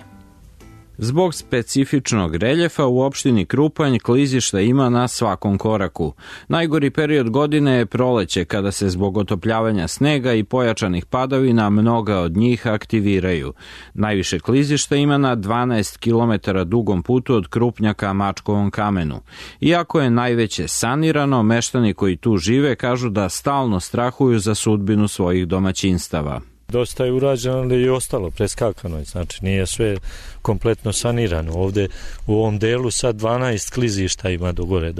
Zbog specifičnog reljefa u opštini Krupanj klizišta ima na svakom koraku. Najgori period godine je proleće, kada se zbog otopljavanja snega i pojačanih padavina mnoga od njih aktiviraju. Najviše klizišta ima na 12 km dugom putu od Krupnja ka Mačkovom kamenu. Iako je najveće sanirano, meštani koji tu žive kažu da stalno strahuju za sudbinu svojih domaćinstava. Dosta je urađeno, ali je ostalo preskakano, znači nije sve kompletno sanirano. Ovde u ovom delu sad 12 klizišta ima do gore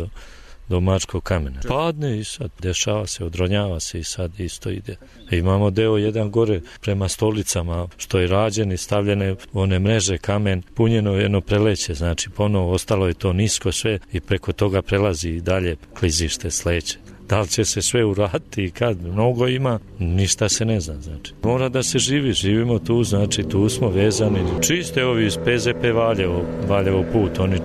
do Mačkog kamena. Padne i sad dešava se, odronjava se i sad isto ide. Imamo deo jedan gore prema Stolicama, što je rađen i stavljene one mreže, kamen, punjeno jedno preleće, znači ponovo ostalo je to nisko sve i preko toga prelazi i dalje klizište sleće. Da li će se sve uraditi i kad? Mnogo ima, ništa se ne zna, znači. Mora da se živi, živimo tu, znači tu smo vezani. Čiste ovi iz PZP Valjevo put, oni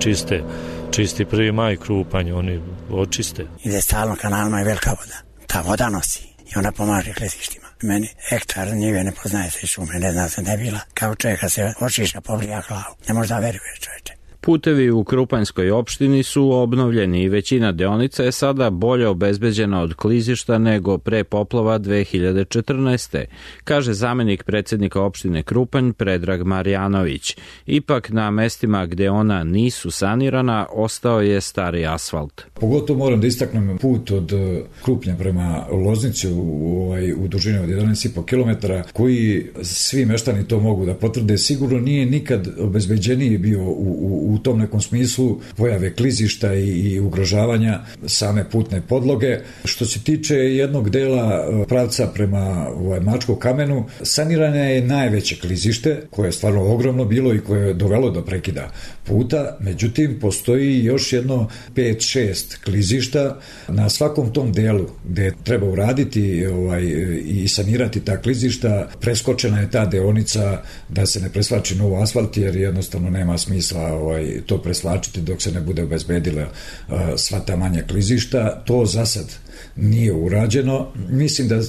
čisti 1. maj Krupanj, oni očiste. Ide stalno kanalima i velika voda. Ta voda nosi i ona pomaže klizištima. Meni hektar njive ne poznaje se šume, ne zna se ne bila. Kao čovjeka se očiša, pobrija glavu. Ne možda veruje čovječe. Putevi u Krupanjskoj opštini su obnovljeni i većina deonica je sada bolje obezbeđena od klizišta nego pre poplava 2014. kaže zamenik predsjednika opštine Krupanj Predrag Marjanović. Ipak na mestima gde ona nisu sanirana ostao je stari asfalt. Pogotovo moram da istaknem put od Krupnja prema Loznici u dužini od 11,5 km koji svi meštani to mogu da potvrde. Sigurno nije nikad obezbeđeniji bio u tom nekom smislu pojave klizišta i ugrožavanja same putne podloge. Što se tiče jednog dela pravca prema Mačkom kamenu, sanirano je najveće klizište, koje je stvarno ogromno bilo i koje je dovelo do prekida puta, međutim postoji još jedno 5-6 klizišta na svakom tom delu gde treba uraditi i sanirati ta klizišta. Preskočena je ta deonica da se ne preslači novo asfalt, jer jednostavno nema smisla to preslačiti dok se ne bude obezbedila sva ta manja klizišta. To za sad nije urađeno. Mislim da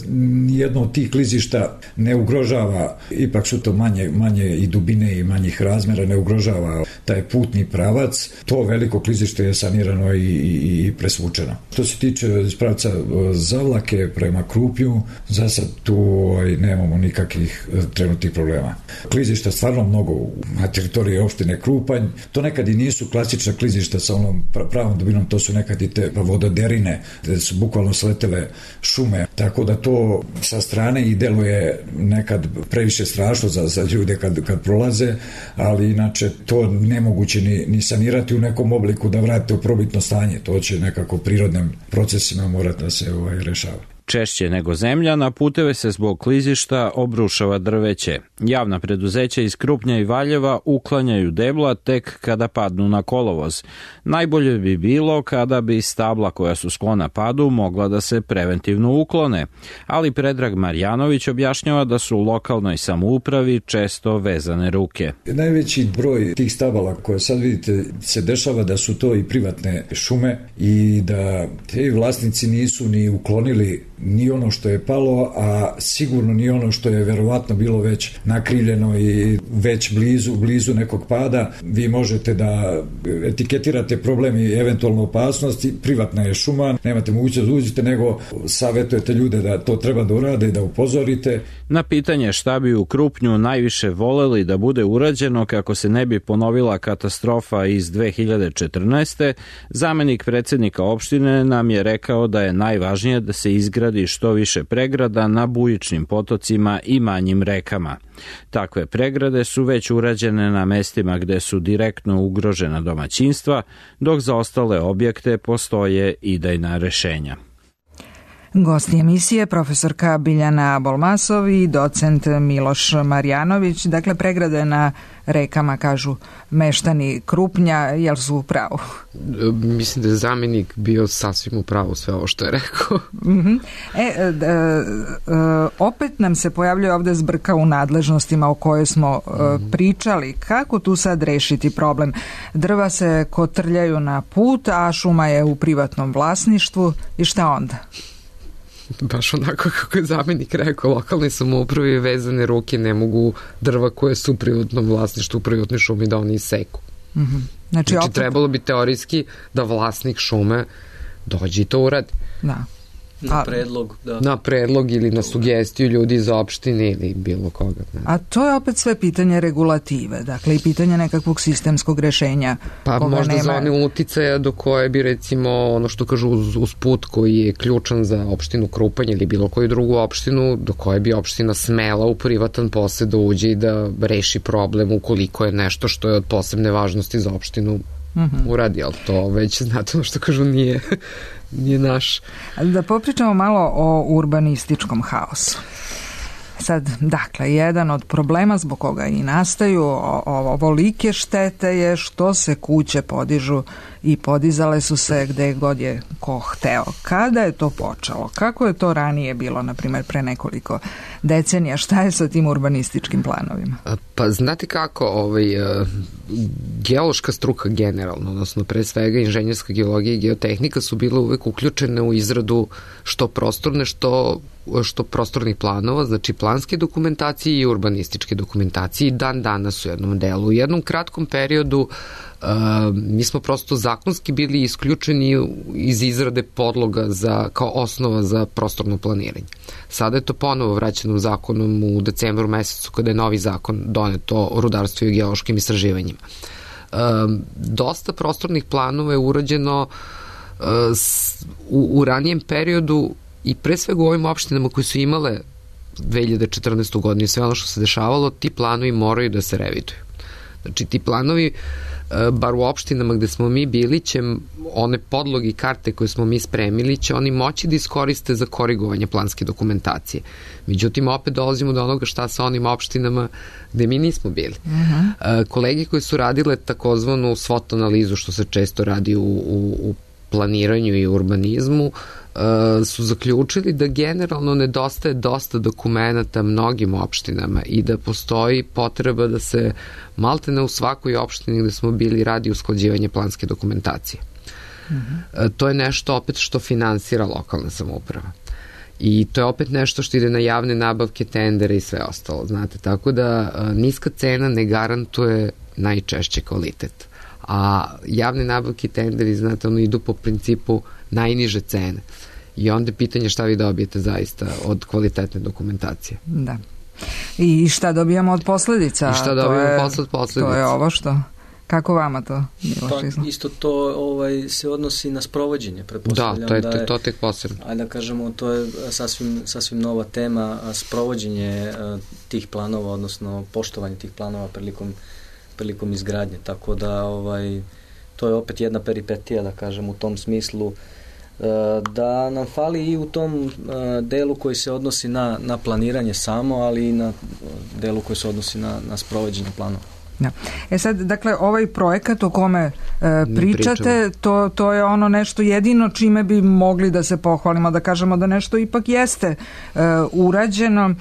nijedno od tih klizišta ne ugrožava, ipak su to manje i dubine i manjih razmera, ne ugrožava taj putni pravac. To veliko klizište je sanirano i presvučeno. Što se tiče pravca Zavlake prema Krupnju, za sad tu nemamo nikakvih trenutnih problema. Klizišta stvarno mnogo na teritoriji opštine Krupanj. To nekad i nisu klasična klizišta sa onom pravom dubinom, to su nekad i te vododerine, gde su bukvalno sletele šume, tako da to sa strane i deluje nekad previše strašno za ljude kad prolaze, ali inače to nemoguće ni sanirati u nekom obliku da vratite u probitno stanje. To će nekako prirodnim procesima morati da se rešava. Češće nego zemlja, na puteve se zbog klizišta obrušava drveće. Javna preduzeća iz Krupnja i Valjeva uklanjaju debla tek kada padnu na kolovoz. Najbolje bi bilo kada bi stabla koja su sklona padu mogla da se preventivno uklone, ali Predrag Marjanović objašnjava da su u lokalnoj samoupravi često vezane ruke. Najveći broj tih stabala koje sad vidite se dešava da su to i privatne šume i da te vlasnici nisu ni uklonili ni ono što je palo, a sigurno ni ono što je verovatno bilo već nakrivljeno i već blizu nekog pada. Vi možete da etiketirate problem i eventualno opasnost, privatna je šuma, nemate mogućnost da uđete, nego savjetujete ljude da to treba da urade i da upozorite. Na pitanje šta bi u Krupnju najviše voleli da bude urađeno kako se ne bi ponovila katastrofa iz 2014. zamenik predsjednika opštine nam je rekao da je najvažnije da se izgradi što više pregrada na bujičnim potocima i manjim rekama. Takve pregrade su već urađene na mestima gde su direktno ugrožena domaćinstva, dok za ostale objekte postoje idejna rešenja. Gosti emisije profesorka Biljana Bolmasov i docent Miloš Marjanović. Dakle, pregrade na rekama, kažu meštani Krupnja, jel su u pravu? Mislim da je zamjenik bio sasvim u pravu sve ovo što je rekao. Opet nam se pojavljuje ovde zbrka u nadležnostima o kojoj smo pričali. Kako tu sad rešiti problem? Drva se kotrljaju na put, a šuma je u privatnom vlasništvu i šta onda? baš onako kako je zamenik rekao, lokalne samouprave vezane ruke ne mogu drva koje su u privatnom vlasništvu, u privatnoj šumi da oni iseku. Znači opet... trebalo bi teorijski da vlasnik šume dođe i to uradi. Da. Na predlog, da. Na predlog ili na sugestiju ljudi iz opštine ili bilo koga. Ne. A to je opet sve pitanje regulative, dakle i pitanje nekakvog sistemskog rešenja. Pa možda za one uticaja do koje bi recimo ono što kažu uz put koji je ključan za opštinu Krupanj ili bilo koju drugu opštinu, do koje bi opština smela u privatan posed da uđe i da reši problem ukoliko je nešto što je od posebne važnosti za opštinu uradi, ali to već znate ono što kažu nije naš. Da popričamo malo o urbanističkom haosu. Sad, dakle, jedan od problema zbog koga i nastaju ovolike štete je što se kuće podižu i podizale su se gde god je ko hteo. Kada je to počelo? Kako je to ranije bilo, na primjer, pre nekoliko decenija? Šta je sa tim urbanističkim planovima? Pa znate kako, geološka struka generalno, odnosno pre svega inženjerska geologija i geotehnika su bile uvek uključene u izradu što prostorne, što prostornih planova, znači planske dokumentacije i urbanističke dokumentacije i dan danas u jednom delu. U jednom kratkom periodu mi smo prosto zakonski bili isključeni iz izrade podloga kao osnova za prostorno planiranje. Sada je to ponovo vraćeno zakonom u decembru mesecu kada je novi zakon donet o rudarstvu i geološkim istraživanjima. Dosta prostornih planova je urađeno u ranijem periodu i pre svega u ovim opštinama koje su imale 2014. godinu i sve ono što se dešavalo, ti planovi moraju da se reviduju. Znači ti planovi, bar u opštinama gde smo mi bili, će one podloge i karte koje smo mi spremili, će oni moći da iskoriste za korigovanje planske dokumentacije. Međutim, opet dolazimo do onoga šta sa onim opštinama gde mi nismo bili. Kolege koji su radile takozvanu SWOT analizu, što se često radi u planiranju i urbanizmu, su zaključili da generalno nedostaje dosta dokumenata mnogim opštinama i da postoji potreba da se maltene u svakoj opštini gde smo bili radi usklađivanje planske dokumentacije. To je nešto opet što finansira lokalna samouprava. I to je opet nešto što ide na javne nabavke, tendere i sve ostalo, znate, tako da niska cena ne garantuje najčešće kvalitet. A javne nabavke i tenderi, znate, idu po principu najniže cene. I onda je pitanje šta vi dobijete zaista od kvalitetne dokumentacije. Da. I šta dobijamo od posledica? I šta dobijamo od posledica? To je ovo što... Kako vama to bilo? Pa isto to se odnosi na sprovođenje, pretpostavljam. Da, to tek posebno. Ajde da kažemo, to je sasvim nova tema, sprovođenje tih planova, odnosno poštovanje tih planova prilikom izgradnje, tako da to je opet jedna peripetija, da kažem, u tom smislu da nam fali i u tom delu koji se odnosi na planiranje samo, ali i na delu koji se odnosi na sprovođenje planova. Da. Sad, dakle, ovaj projekat o kome pričate, to je ono nešto jedino čime bi mogli da se pohvalimo, da kažemo da nešto ipak jeste urađeno.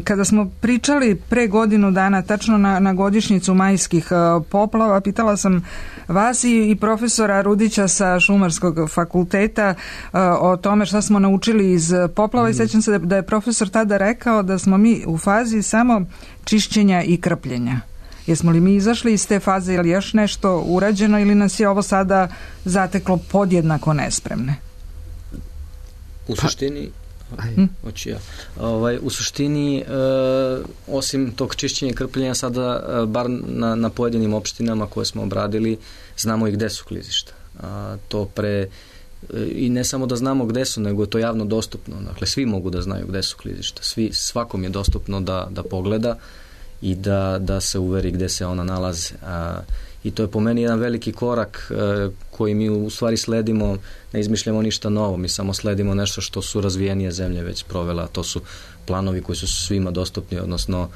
Kada smo pričali pre godinu dana, tačno na godišnjicu majskih poplava, pitala sam vas i profesora Rudića sa Šumarskog fakulteta o tome šta smo naučili iz poplava i sećam se da je profesor tada rekao da smo mi u fazi samo čišćenja i krpljenja. Jesmo li mi izašli iz te faze ili još nešto urađeno ili nas je ovo sada zateklo podjednako nespremne? U suštini u suštini osim tog čišćenja i krpljenja sada bar na pojedinim opštinama koje smo obradili znamo i gde su klizišta. I ne samo da znamo gde su, nego je to javno dostupno. Dakle, svi mogu da znaju gde su klizišta. Svakom je dostupno da pogleda i da se uveri gde se ona nalaze. I to je po meni jedan veliki korak koji mi u stvari sledimo, ne izmišljamo ništa novo, mi samo sledimo nešto što su razvijenije zemlje već provela, to su planovi koji su svima dostupni, odnosno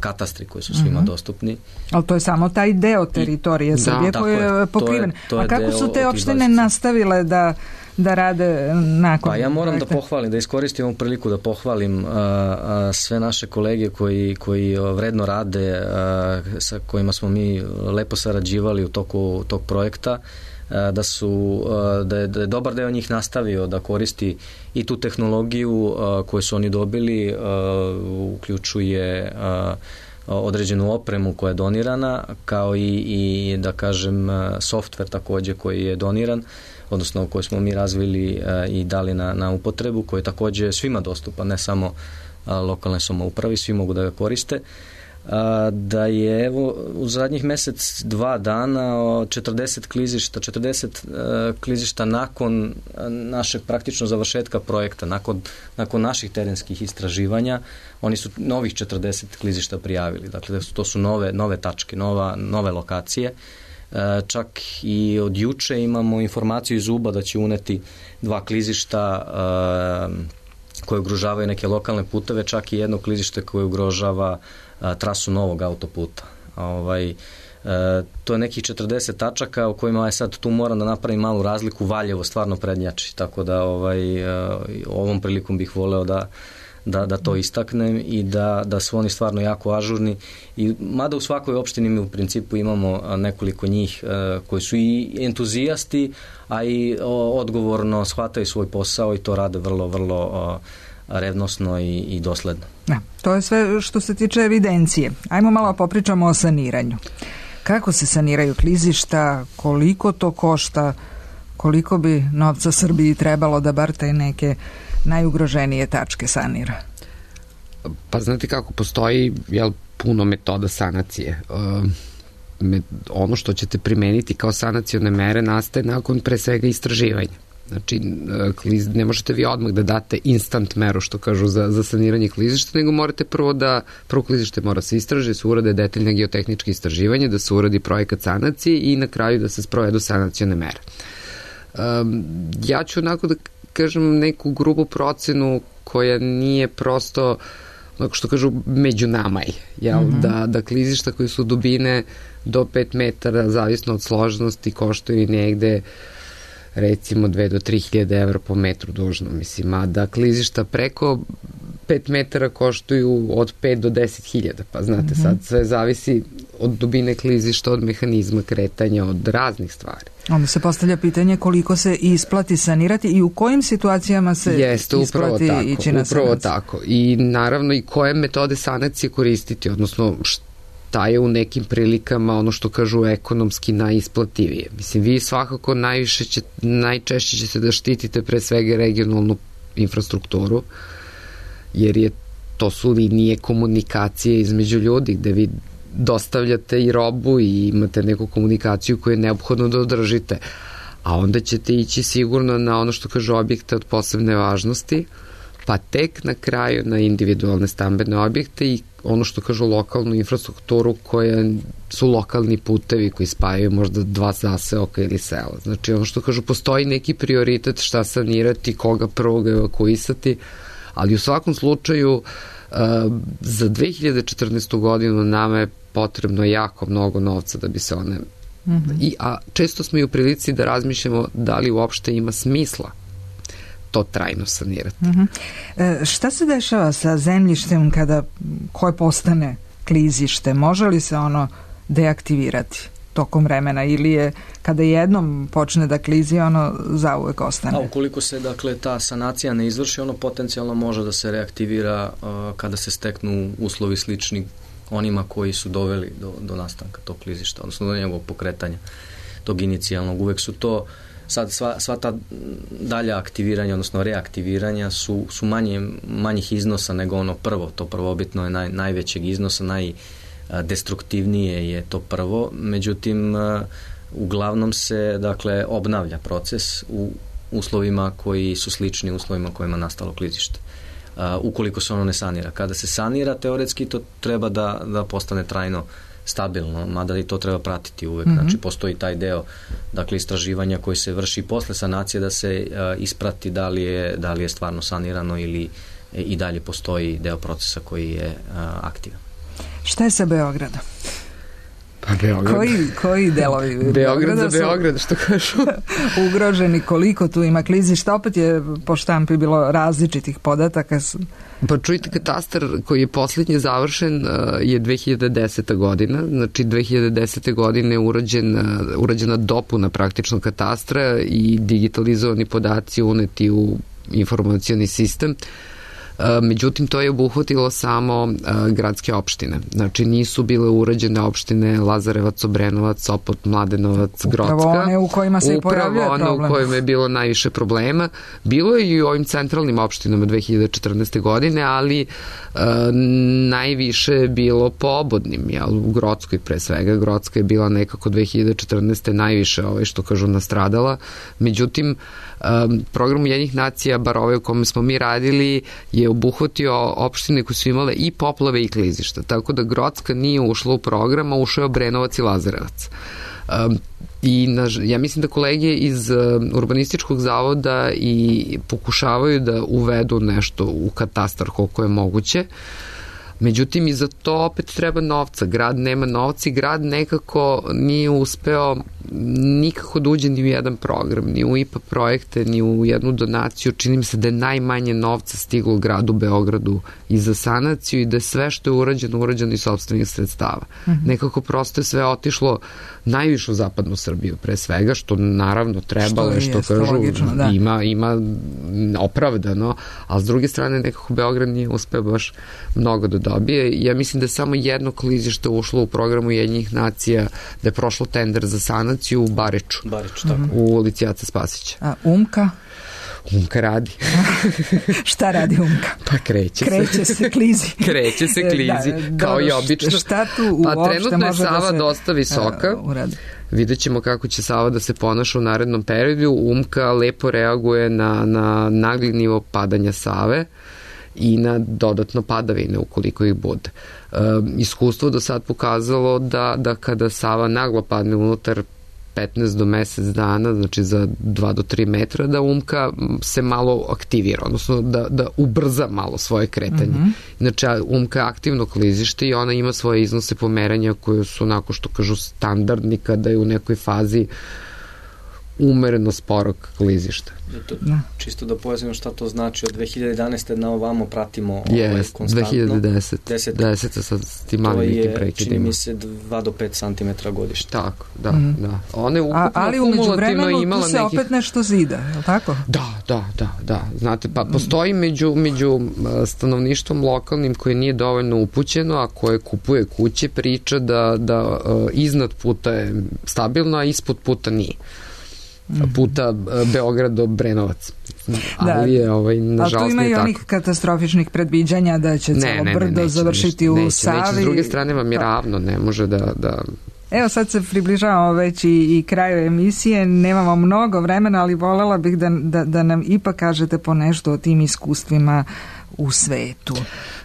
katastri koji su svima dostupni. Ali to je samo taj deo teritorije Srbije koji je pokriven. A kako su te opštine nastavile da rade nakon? Pa ja moram da pohvalim, da iskoristim ovu priliku da pohvalim sve naše kolege koji vredno rade, sa kojima smo mi lepo sarađivali u toku tog projekta. da je dobar deo njih nastavio da koristi i tu tehnologiju koju su oni dobili, uključuje određenu opremu koja je donirana, kao i da kažem softver takođe koji je doniran, odnosno koji smo mi razvili i dali na upotrebu, koji je takođe svima dostupan, ne samo lokalne samoupravi, svi mogu da ga koriste. Da je evo u zadnjih mesec, 2 dana 40 klizišta nakon našeg praktično završetka projekta, nakon naših terenskih istraživanja, oni su novih 40 klizišta prijavili. Dakle, to su nove tačke, nove lokacije. Čak i od juče imamo informaciju iz UBA da će uneti 2 klizišta koje ugrožavaju neke lokalne puteve, čak i jedno klizište koje ugrožava trasu novog autoputa. To je nekih 40 tačaka u kojima sad tu moram da napravim malu razliku. Valjevo stvarno prednjači, tako da ovom prilikom bih voleo da to istaknem i da su oni stvarno jako ažurni. Mada u svakoj opštini mi u principu imamo nekoliko njih koji su i entuzijasti, a i odgovorno shvataju svoj posao i to rade vrlo, vrlo revnosno i dosledno. To je sve što se tiče evidencije. Ajmo malo popričamo o saniranju. Kako se saniraju klizišta, koliko to košta, koliko bi novca Srbiji trebalo da bar te neke najugroženije tačke sanira? Pa znate kako, postoji puno metoda sanacije. Ono što ćete primeniti kao sanacione mere nastaje nakon pre svega istraživanja. Znači, ne možete vi odmah da date instant meru, što kažu, za saniranje klizišta, nego morate prvo klizište mora se istražiti, da se urade detaljne geotehničke istraživanje, da se uradi projekat sanacije i na kraju da se sprovedu sanacione mere. Ja ću onako da kažem neku grubu procenu koja nije prosto, onako što kažu, među nama je, da klizišta koji su dubine do 5 metara, zavisno od složenosti, koštaju negde recimo 2 do 3.000 evra po metru dužno, mislim, a da klizišta preko 5 metara koštuju od 5 do 10.000, pa znate, sad sve zavisi od dubine klizišta, od mehanizma kretanja, od raznih stvari. Onda se postavlja pitanje koliko se isplati sanirati i u kojim situacijama se isplati ići na sanaciju. Upravo tako. I naravno i koje metode sanacije koristiti, odnosno šta je u nekim prilikama ono što kažu ekonomski najisplativije. Mislim, vi svakako najčešće ćete da štitite pre svega regionalnu infrastrukturu, jer to su linije komunikacije između ljudi gde vi dostavljate i robu i imate neku komunikaciju koju je neophodno da održite. A onda ćete ići sigurno na ono što kažu objekte od posebne važnosti, pa tek na kraju na individualne stambene objekte i ono što kažu lokalnu infrastrukturu koja su lokalni putevi koji spajaju možda 2 zaseoka ili sela. Znači ono što kažu, postoji neki prioritet šta sanirati, koga prvog evakuisati, ali u svakom slučaju za 2014. godinu nama je potrebno jako mnogo novca da bi se one... A često smo i u prilici da razmišljamo da li uopšte ima smisla to trajno sanirati. Šta se dešava sa zemljištem koje postane klizište? Može li se ono deaktivirati tokom vremena ili je kada jednom počne da klizi, ono zauvek ostane? A ukoliko se ta sanacija ne izvrši, ono potencijalno može da se reaktivira kada se steknu uslovi slični onima koji su doveli do nastanka tog klizišta, odnosno do njegovog pokretanja, tog inicijalnog. Uvek su to sad sva ta dalja aktiviranja, odnosno reaktiviranja su manjih iznosa nego ono prvo. To prvobitno je najvećeg iznosa, najdestruktivnije je to prvo. Međutim, uglavnom se obnavlja proces u uslovima koji su slični uslovima kojima je nastalo klizište. Ukoliko se ono ne sanira. Kada se sanira, teoretski to treba da postane trajno stabilno, mada i to treba pratiti uvek. Znači, postoji taj deo istraživanja koji se vrši posle sanacije da se isprati da li je stvarno sanirano ili i dalje postoji deo procesa koji je aktivan. Šta je sa Beogradom? Pa Koji delovi Beograd za Beograd, što kažu. Ugroženi, koliko tu ima klizišta? Opet je po štampi bilo različitih podataka. Pa čujte, katastar koji je posljednji završen je 2010. godina, znači 2010. godine je urađena dopuna praktično katastra i digitalizovani podaci uneti u informacioni sistem. Međutim, to je obuhvatilo samo gradske opštine. Znači, nisu bile urađene opštine Lazarevac, Obrenovac, Sopot, Mladenovac, Grocka. Upravo one u kojima se i pojavljuje problem. Upravo one u kojima je bilo najviše problema. Bilo je i u ovim centralnim opštinama 2014. godine, ali najviše je bilo po obodnim. U Grockoj pre svega. Grocka je bila nekako 2014. najviše, što kažu, nastradala. Međutim, program Ujedinjenih nacija, bar ovaj u kome smo mi radili, je obuhvatio opštine koje su imale i poplave i klizišta. Tako da Grocka nije ušla u program, a ušao je Obrenovac i Lazarevac. I ja mislim da kolege iz Urbanističkog zavoda i pokušavaju da uvedu nešto u katastar koliko je moguće. Međutim, i za to opet treba novca. Grad nema novca i grad nekako nije uspeo nikako da uđe ni u jedan program, ni u IPA projekte, ni u jednu donaciju. Čini mi se da je najmanje novca stiglo gradu Beogradu i za sanaciju i da je sve što je urađeno iz sopstvenih sredstava. Nekako prosto je sve otišlo najviše u zapadnu Srbiju pre svega, što naravno trebalo, što kažu, logično, da. Ima opravdano, ali s druge strane nekako Beograd nije uspeo baš mnogo da dobije. Ja mislim da je samo jedno klizište ušlo u programu Ujedinjenih nacija, da je prošlo tender za sanaciju u Bariču, tako. U ulici Ace Spasića. A Umka? Umka radi. Šta radi Umka? Pa kreće se klizi. Kreće se klizi, kao i obično. Šta tu uopšte pa trenutno je Sava da dosta visoka. Vidjet ćemo kako će Sava da se ponaša u narednom periodu. Umka lepo reaguje na nagli nivo padanja Save i na dodatno padavine ukoliko ih bude. Iskustvo do sad pokazalo da kada Sava naglo padne unutar 15 do mesec dana, znači za 2 do 3 metra, da Umka se malo aktivira, odnosno da ubrza malo svoje kretanje. Znači, Umka je aktivno klizište i ona ima svoje iznose pomeranja koje su onako što kažu standardni kada je u nekoj fazi umereno sporog klizišta. Čisto da pojasnimo šta to znači, od 2011. na ovamo pratimo konstantno. 2010. sa tim malim nekim prekidima. To je, čini mi se, 2 do 5 cm godišnje. Tako, da. Ona je ukupno ali umeđu vremenu tu se opet nešto zida, je li tako? Da. Znate, pa postoji među stanovništvom lokalnim koje nije dovoljno upućeno, a koje kupuje kuće, priča da iznad puta je stabilno, a ispod puta nije. Puta Beograd do Brenovac. Ali je nažalost nije tako. Ali tu ima i onih katastrofičnih predviđanja da će celo brdo završiti u Savi. Neće, s druge strane vam je ravno, ne može da... Evo sad se približavamo već i kraju emisije, nemamo mnogo vremena, ali volela bih da nam ipak kažete po nešto o tim iskustvima u svetu.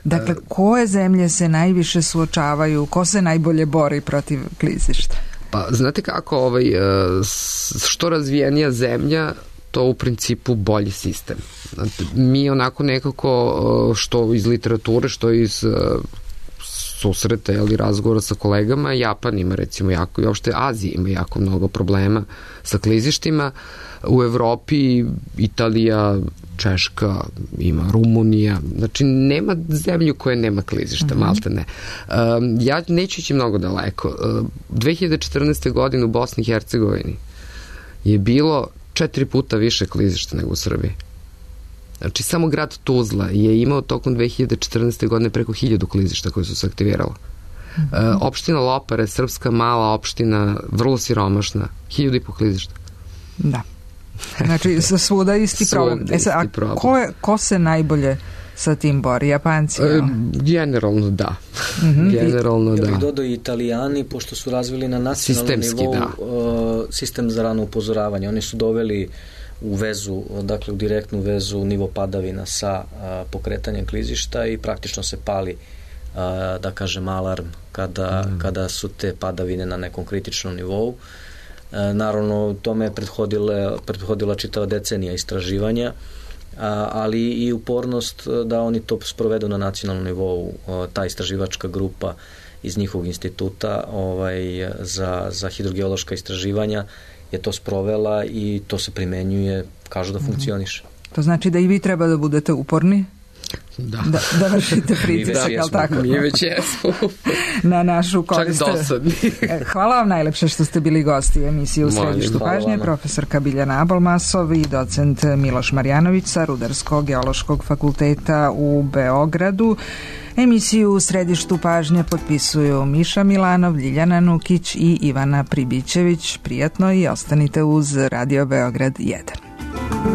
Dakle, koje zemlje se najviše suočavaju, ko se najbolje bori protiv klizišta? Pa, znate kako, što razvijenija zemlja, to u principu bolji sistem. Mi onako nekako, što iz literature, što iz susreta ili razgovora sa kolegama, Japan ima recimo jako, i uopšte Azija ima jako mnogo problema sa klizištima. U Evropi Italija, Češka, ima Rumunija, znači nema zemlju koja nema klizišta, malte ne. Ja neću ići mnogo daleko. 2014. godine u Bosni i Hercegovini je bilo 4 puta više klizišta nego u Srbiji. Znači, samo grad Tuzla je imao tokom 2014. godine preko 1000 klizišta koje su se aktivirala. Opština Lopare, srpska mala opština, vrlo siromašna, 1500 klizišta. Da. Znači, svuda isti problem. Ko se najbolje sa tim bori? Japanci? Generalno da. Generalno da. Ja bih dodao i Italijani, pošto su razvili na nacionalnom nivou sistem za rano upozoravanje. Oni su doveli u vezu, dakle u direktnu vezu nivo padavina sa pokretanjem klizišta i praktično se pali, da kažem, alarm kada su te padavine na nekom kritičnom nivou. Naravno, tome je prethodila čitava decenija istraživanja, ali i upornost da oni to sprovedu na nacionalnom nivou. Ta istraživačka grupa iz njihovog instituta za hidrogeološka istraživanja je to sprovela i to se primenjuje, kažu da funkcioniše. To znači da i vi treba da budete uporni? Da vršite pritisak, ali tako? Mi već jesmo. Na našu korist. Čak dosadni. Hvala vam najlepše što ste bili gosti emisije U središtu pažnje, profesorka Biljana Abolmasov i docent Miloš Marjanović sa Rudarsko-geološkog fakulteta u Beogradu. Emisiju U središtu pažnje potpisuju Miša Milanov, Ljiljana Nukić i Ivana Pribićević. Prijatno i ostanite uz Radio Beograd 1.